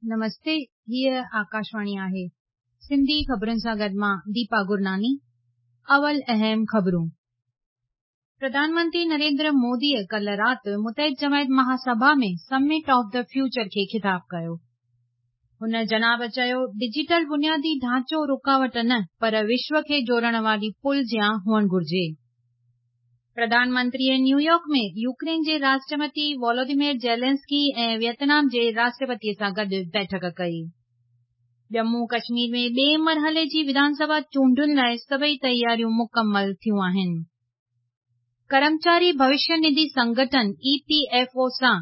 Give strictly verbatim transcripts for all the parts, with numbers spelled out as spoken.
नमस्ते, हीअ आकाशवाणी आहे। सिंधी ख़बरुनि सां गॾु मां दीपा गुरनानी। अवल अहम ख़बरूं। प्रधानमंत्री नरेंद्र मोदीअ कल्ह राति मुतहिद जमायत महासभा में समिट ऑफ the future खे ख़िताब कयो। हुन जनाब चयो, डिजिटल बुनियादी ढांचो रुकावट न पर विश्व खे जोड़ण वारी पुल जियां हुअणु घुरिजे। प्रधानमंत्रीअ न्यूयॉर्क में यूक्रेन जे राष्ट्रपति वोलोदिमीर ज़ेलेंस्की ऐं वियतनाम जे राष्ट्रपतीअ सां गॾु बैठक कई। जम्मू कश्मीर में ॿिए मरहले जी विधानसभा चूंडुनि लाइ सभई तयारियूं मुकमल थियूं आहिनि। कर्मचारी भविष्य निधि संगठन ई पी एफ ओ सां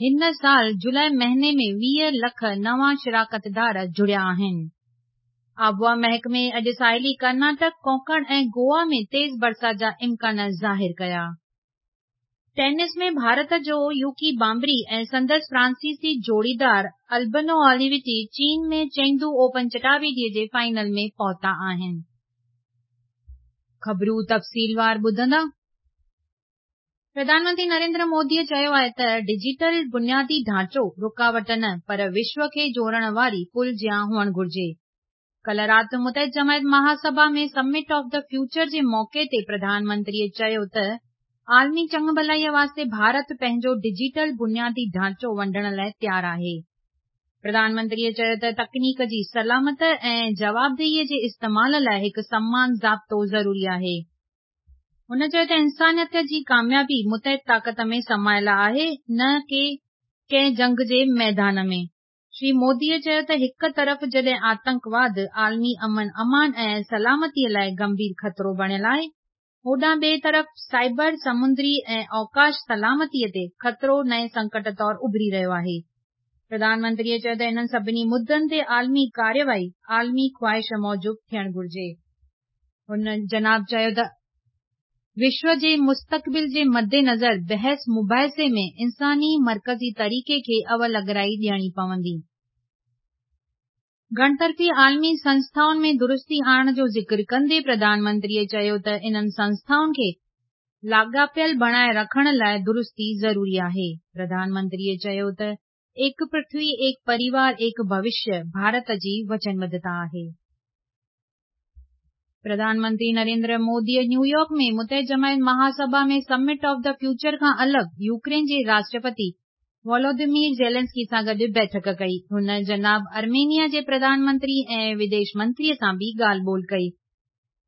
हिन साल जुलाई महीने में वीह लख नवां शिराकतदार जुड़िया आहिनि। आबहवा महकमे अॼु साहिली कर्नाटक, कोंकण ऐं गोवा में तेज़ बरसाति जा इम्कान ज़ाहिर कया। टेनिस में भारत जो यूकी बांबरी ऐं संदसि फ्रांसीसी जोड़ीदार अल्बनो ओलिविटी चीन में चेंगदू ओपन चटावीटीअ जे फाइनल में पहुता आहिनि। ख़बरूं तफ़सीलवार ॿुधंदा। प्रधानमंत्री नरेंद्र मोदीअ चयो आहे त डिजिटल बुनियादी ढांचो रुकावट न पर विश्व खे जोड़ण वारी पुल जियां हुअणु घुरिजे। कल्ह राति मुतहिद जमायत महासभा में समिट ऑफ the future जे मौक़े ते प्रधानमंत्रीअ चयो त आलमी चङ भलाईअ वास्ते भारत पंहिंजो डिजिटल बुनियादी ढांचो वंडण लाइ तयारु आहे। प्रधानमंत्रीअ चयो त तकनीक जी सलामत ऐं जवाबदेहीअ जे इस्तेमाल लाइ हिकु समान ज़ाब्तो ज़रूरी आहे। हुन चयो त इंसानियत जी कामयाबी मुतहिद ताक़त में समायल आहे, न की कंहिं जंग जे मैदान में। श्री मोदीअ चयो त हिकु तरफ़ जॾहिं आतंकवाद आलमी अमन अमान ऐं सलामतीअ लाइ गंभीर ख़तरो बणियल आहे, होॾां ॿिए तरफ़ साइबर, समुंदरी ऐं अवकाश सलामतीअ ते ख़तरो नए संकट तौर उभरी रहियो आहे। प्रधानमंत्रीअ चयो त इन्हनि सभिनी मुद्दनि ते आलमी कार्यवाही आलमी ख़्वाहिश मूजिबि थियणु घुरिजे। हुन जनाब चयो त विश्व जे मुस्तक़बिल जे मद्देनज़र बहस मुबाहिसे में इंसानी मरकज़ी तरीक़े खे अवल अगराई ॾियणी पवंदी। घणतरफ़ी आलमी संस्थाउनि में दुरुस्ती आणण जो ज़िक्र कंदे प्रधानमंत्रीअ चयो त इन्हनि संस्थाउनि खे लाॻापियल बणाए रखण लाइ दुरुस्ती ज़रूरी आहे। प्रधानमंत्रीअ चयो त एक पृथ्वी, एक परिवार, एक भविष्य भारत जी वचनबद्धता आहे। प्रधानमंत्री नरेंद्र मोदीअ न्यूयॉर्क में मुतहिद जमायत महासभा में समिट ऑफ the future खां अलॻि यूक्रेन जे राष्ट्रपति वोलोदिमीर ज़ेलेंस्की सां गॾु बैठक कई। हुन जनाब आर्मेनिया जे प्रधानमंत्री ऐं विदेश मंत्रीअ सां बि ॻाल्हि ॿोल कई।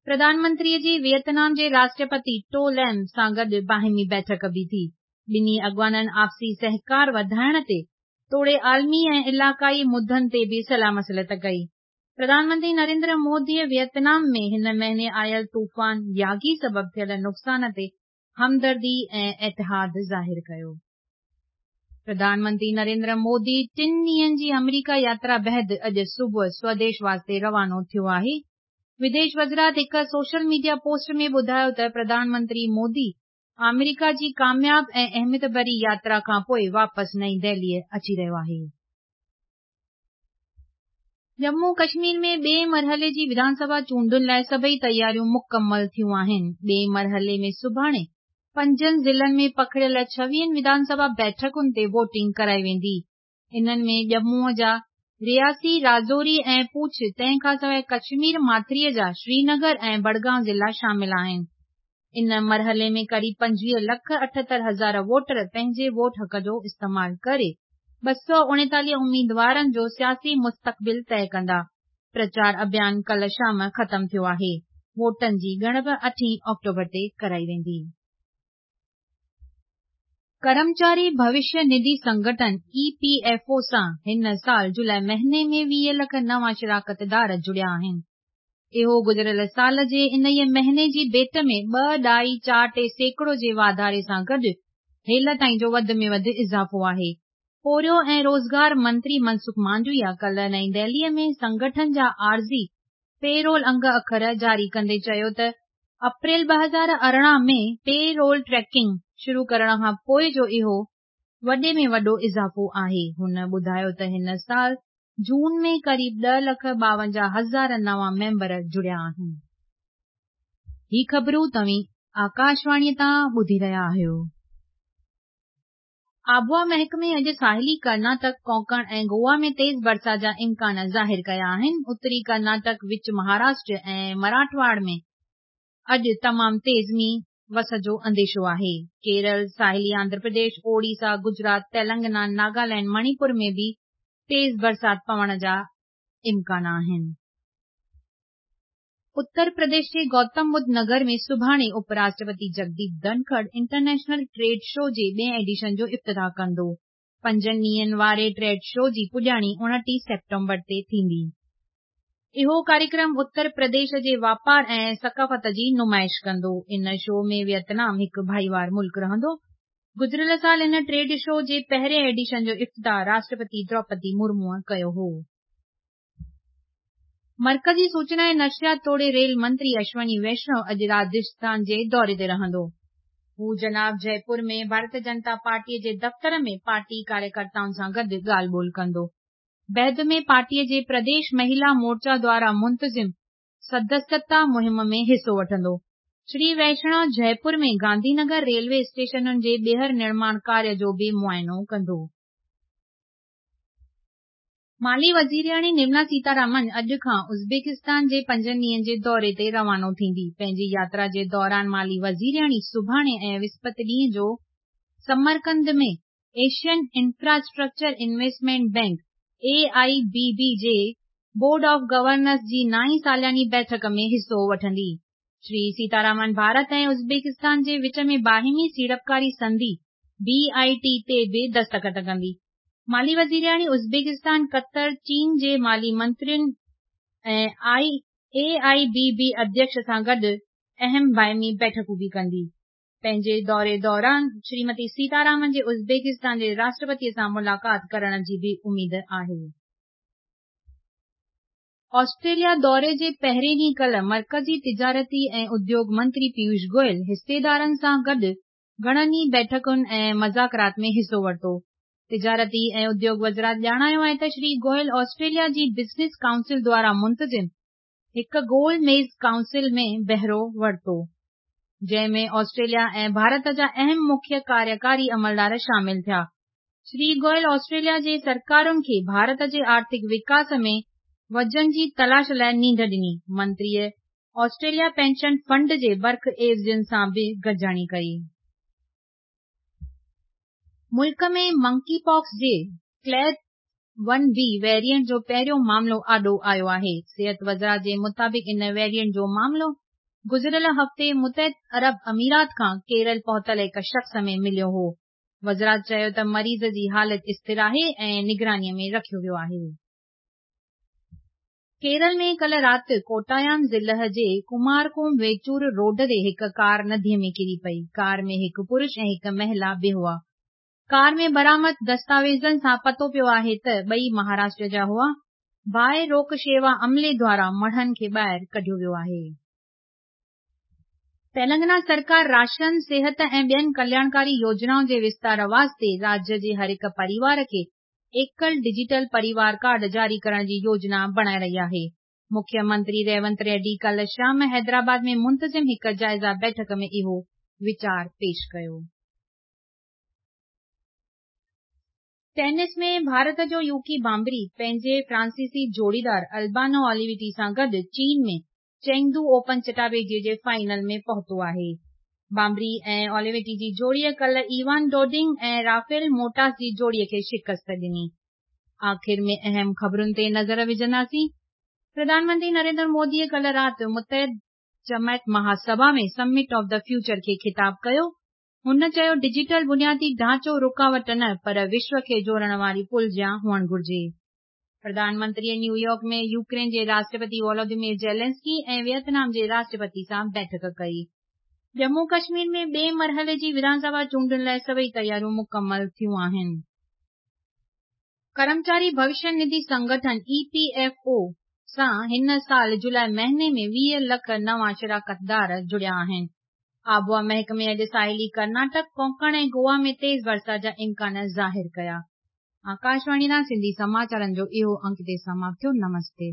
प्रधानमंत्रीअ जी वियतनाम जे राष्ट्रपति टो लैम सां गॾु बाहिमी बैठक बि थी। ॿिन्ही अॻवाननि आपसी सहकार वधाइण ते तोड़े आलमी ऐं इलाइक़ाई मुद्दनि ते बि सलाह मसलत कई। प्रधानमंत्री नरेंद्र मोदीअ वियतनाम में हिन महीने आयल तूफ़ान यागी सबबि थियल नुक़सान ते हमदर्दी ऐं एतिहाद ज़ाहिर कयो। प्रधानमंत्री नरेंद्र मोदी टिनि ॾींहंनि जी अमरीका यात्रा बाद अॼु सुबुह स्वदेश वास्ते रवानो थियो आहे। विदेश वज़ारत हिकु सोशल मीडिया पोस्ट में ॿुधायो त प्रधानमंत्री मोदी अमरीका जी कामयाब ऐं अहमियत भरी यात्रा खां पोइ वापसि नई दिल्लीअ अची रहियो आहे। जम्मू कश्मीर में ॿिए मरहले जी विधानसभा चूंडुनि लाइ सभई तयारियूं मुकमल थियूं आहिनि। ॿिए मरहले में सुभाणे पंजनि ज़िलनि में पखिड़ियल छवीहनि विधानसभा बैठकुनि ते वोटिंग कराई वेंदी। इन्हनि में जम्मूअ जा रियासी, राजौरी ऐं पूंछ, तंहिंखां सवाइ कश्मीर माथरीअ जा श्रीनगर ऐं बडगांव ज़िला शामिल आहिनि। इन मरहले में क़रीब पंजवीह लख अठहतरि हज़ार वोटर पंहिंजे वोट हक़ जो इस्तेमालु करे ॿ सौ उणेतालीह उम्मीदवारनि जो सियासी मुस्तक़बिल तय कंदा। प्रचार अभियान कल्ह शाम ख़तमु थियो आहे। वोटनि जी ॻणप अठीं अक्टूबर ते कराई वेंदी। कर्मचारी भविष्य निधि संगठन ई पी एफ ओ सां हिन साल जुलाई महीने में वीह लख नवां शिराकतदार जुड़िया आहिनि। इहो गुज़िरियल साल जे इन ई महीने जी भेंट में ॿ ॾाई चारि टे सैकड़ो जे वाधारे सां गॾु हेल ताईं जो वधि में वधि इज़ाफ़ो आहे। पोरियो ऐं रोज़गार मंत्री मनसुख मांडविया कल्ह नई दिल्लीअ में संगठन जा आरज़ी पेरोल अंग अखर जारी कंदे चयो त अप्रैल ॿ हज़ार अरिड़हं में पेरोल ट्रैकिंग शुरू करण खां पोइ जो इहो वॾे में वॾो इज़ाफ़ो आहे। हुन ॿुधायो त हिन साल जून में क़रीब ॾह लख ॿावंजाह हज़ार नवां मेंबर जुड़िया आहिनि। ही ख़बरूं तव्हीं आकाशवाणीअ तां ॿुधी रहिया आहियो। आबहावा महकमे अॼु साहिली कर्नाटक, कोंकण ऐं गोवा में तेज़ बरसाति जा इम्कान ज़ाहिर कया आहिनि। उत्तरी कर्नाटक, विच महाराष्ट्र ऐं मराठवाड़ा में अॼु तमामु तेज़ मींहुं वस जो अंदेशो आहे। केरल, साहिली आंध्र प्रदेश, ओडिशा, गुजरात, तेलंगाना, नागालैंड, मणिपुर में बि तेज़ बरसाति पवण जा इम्कान आहिनि। उत्तर प्रदेश जे गौतम बुद्ध नगर में सुभाणे उपराष्ट्रपति Jagdeep Dhankhar international trade show जे ॿिए एडिशन जो इफ्तिताह कंदो। पंजनि ॾींहंनि वारे ट्रेड शो जी पुॼाणी उणिटीह सेप्टेम्बर ते थींदी। इहो कार्यक्रम उत्तर प्रदेश जे वापार ऐं सकाफ़त जी नुमाइश कंदो। इन शो में वियतनाम हिकु भाईवार मुल्क रहंदो। गुज़िरियल साल इन ट्रेड शो जे पहिरें एडिशन जो इफ्तिताह राष्ट्रपति द्रौपदी मुर्मूअ कयो हो। मर्कज़ी सूचना ऐं नशियात तोड़े रेल मंत्री अश्वनी वैष्णव अॼु राजस्थान जे दौरे ते रहंदो। हू जनाब जयपुर में भारतीय जनता पार्टीअ जे दफ़्तर में पार्टी कार्यकर्ताउनि सां गॾु ॻाल्हि ॿोल कंदो। बैद में पार्टीअ जे प्रदेश महिला मोर्चा द्वारा मुंतज़िम सदस्यता मुहिम में हिसो वठंदो। श्री वैष्णव जयपुर में गांधीनगर रेलवे स्टेशनुनि जे ॿीहर निर्माण कार्य जो बि मुआइनो कंदो। माली वज़ीरियाणी निर्मला सीतारामन अॼु खां उज़्बेकिस्तान जे पंजनि ॾींहंनि जे दौरे ते रवानो थींदी। पंहिंजी यात्रा जे दौरान माली वज़ीरियाणी सुभाणे ऐं विस्पति ॾींहुं जो Samarkand में Asian infrastructure investment bank A I B B जे बोर्ड ऑफ गवर्नर्स जी नाईं सालानी बैठक में हिसो वठंदी। श्री सीतारामन भारत ऐं उज़्बेकिस्तान जे विच में बाहिमी सीड़पकारी संधि बी I T ते बि दस्तख़त कंदी। माली वज़ीरियाणी उज़्बेकिस्तान, क़तर, चीन जे माली मंत्रियुनि ऐं ए I B B अध्यक्ष सां गॾु अहम बाहिमी बैठकूं बि कंदी। पंहिंजे दौरे दौरान श्रीमती सीतारामन जे उज़्बेकिस्तान जे राष्ट्रपतीअ सां मुलाक़ात करण जी बि उमेद आहे। ऑस्ट्रेलिया दौरे जे पहिरें ॾींहुं कल्ह मर्कज़ी तिजारती ऐं उद्योग मंत्री पीयूष गोयल हिस्सेदारनि सां गॾु घणनि ई बैठकुनि ऐं मज़ाकरात में हिसो वरितो। तिजारती ऐं उद्योग वज़ारत ॼाणायो आहे त श्री गोयल ऑस्ट्रेलिया जी बिज़नेस काउंसिल द्वारा मुंतज़िम हिकु गोल मेज़ काउंसिल में बहिरो वरितो, जंहिं में ऑस्ट्रेलिया ऐं भारत जा अहम मुख्य कार्यकारी अमलदार शामिल थिया। श्री गोयल ऑस्ट्रेलिया जे सरकारुनि खे भारत जे आर्थिक विकास में वजन जी तलाश लाइ नींद ॾिनी। मंत्रीअ ऑस्ट्रेलिया पेंशन फंड जे बर्ख एवज़ियुनि सां बि गॾिजाणी कई। मुल्क में मंकी पॉक्स जे क्लेड वन बी वेरिएंट जो पहिरियों मामिलो आॾो आयो आहे। सिहत वज़ारत जे मुताबिक़ इन वेरिएंट जो मामिलो गुज़िरियल हफ़्ते मुतहिद अरब अमीरात खां केरल पहुतल हिकु शख़्स में मिलियो हो। वज़ारत चयो त मरीज़ जी हालत स्थिर आहे ऐं निगरानीअ में रखियो वियो आहे। केरल में कल्ह राति कोटायाम ज़िले जे कुमारकोम वेचूर रोड ते हिकु कार नदीअ में किरी पई। कार में हिकु पुरुष ऐं हिकु महिला बि हुआ। कार में बरामद दस्तावेज़नि सां पतो पियो आहे त ॿई महाराष्ट्र जा हुआ। बाहि रोक शेवा अमले द्वारा मढ़नि खे ॿाहिरि कढियो वियो आहे। तेलंगाना सरकार राशन, सिहत ऐं ॿियनि कल्याणकारी योजनाउनि जे विस्तार वास्ते राज्य जे हर हिकु परिवार खे एकल डिजिटल परिवार कार्ड जारी करण जी योजना बणाए रही आहे। मुख्यमंत्री रेवंत रेड्डी कल्ह शाम हैदराबाद में मुंतज़िम हिकु जाइज़ा बैठक में इहो वीचार पेश कयो। टेनिस में भारत जो यूकी भांबरी पंहिंजे फ्रांसीसी जोड़ीदार अल्बानो ओलिविटी सां गॾु चीन में चेंगदू ओपन चटाबेजी जे फाइनल में पहुतो आहे। भांबरी ऐं ओलिविटी जी जोड़ीअ कल्ह इवान डोडिंग ऐं राफेल मोटास जी जोड़ीअ खे शिकस्त ॾिनी। आख़िर में अहम ख़बरुनि ते नज़र विझंदासीं। प्रधानमंत्री नरेंद्र मोदीअ कल्ह राति मुतहिद जमायत महासभा में समिट ऑफ the future खे ख़िताब कयो। हुन चयो डिजिटल बुनियादी ढांचो रुकावट न पर विश्व खे जोड़ण वारी पुल जियां हुअणु घुर्जे। प्रधानमंत्रीअ न्यूयॉर्क में यूक्रेन जे राष्ट्रपति वोलोदिमीर ज़ेलेंस्की ऐं वियतनाम जे राष्ट्रपति सां बैठक कई। जम्मू कश्मीर में ॿिए मरहले जी विधानसभा चूंडुनि लाइ सभई तयारियूं मुकमल थियूं आहिनि। कर्मचारी भविष्य निधि संगठन ई पी एफ ओ सां हिन साल जुलाई महीने में वीह लख नवां शिराकतदार जुड़िया आहिनि। आबहावा महकमे अॼु साहिली कर्नाटक, कोंकण ऐं गोवा में तेज़ बरसाति जा इम्कान ज़ाहिर कया। आकाशवाणी तां सिंधी समाचारनि जो इहो अंक हिते समाप्त थियो। नमस्ते।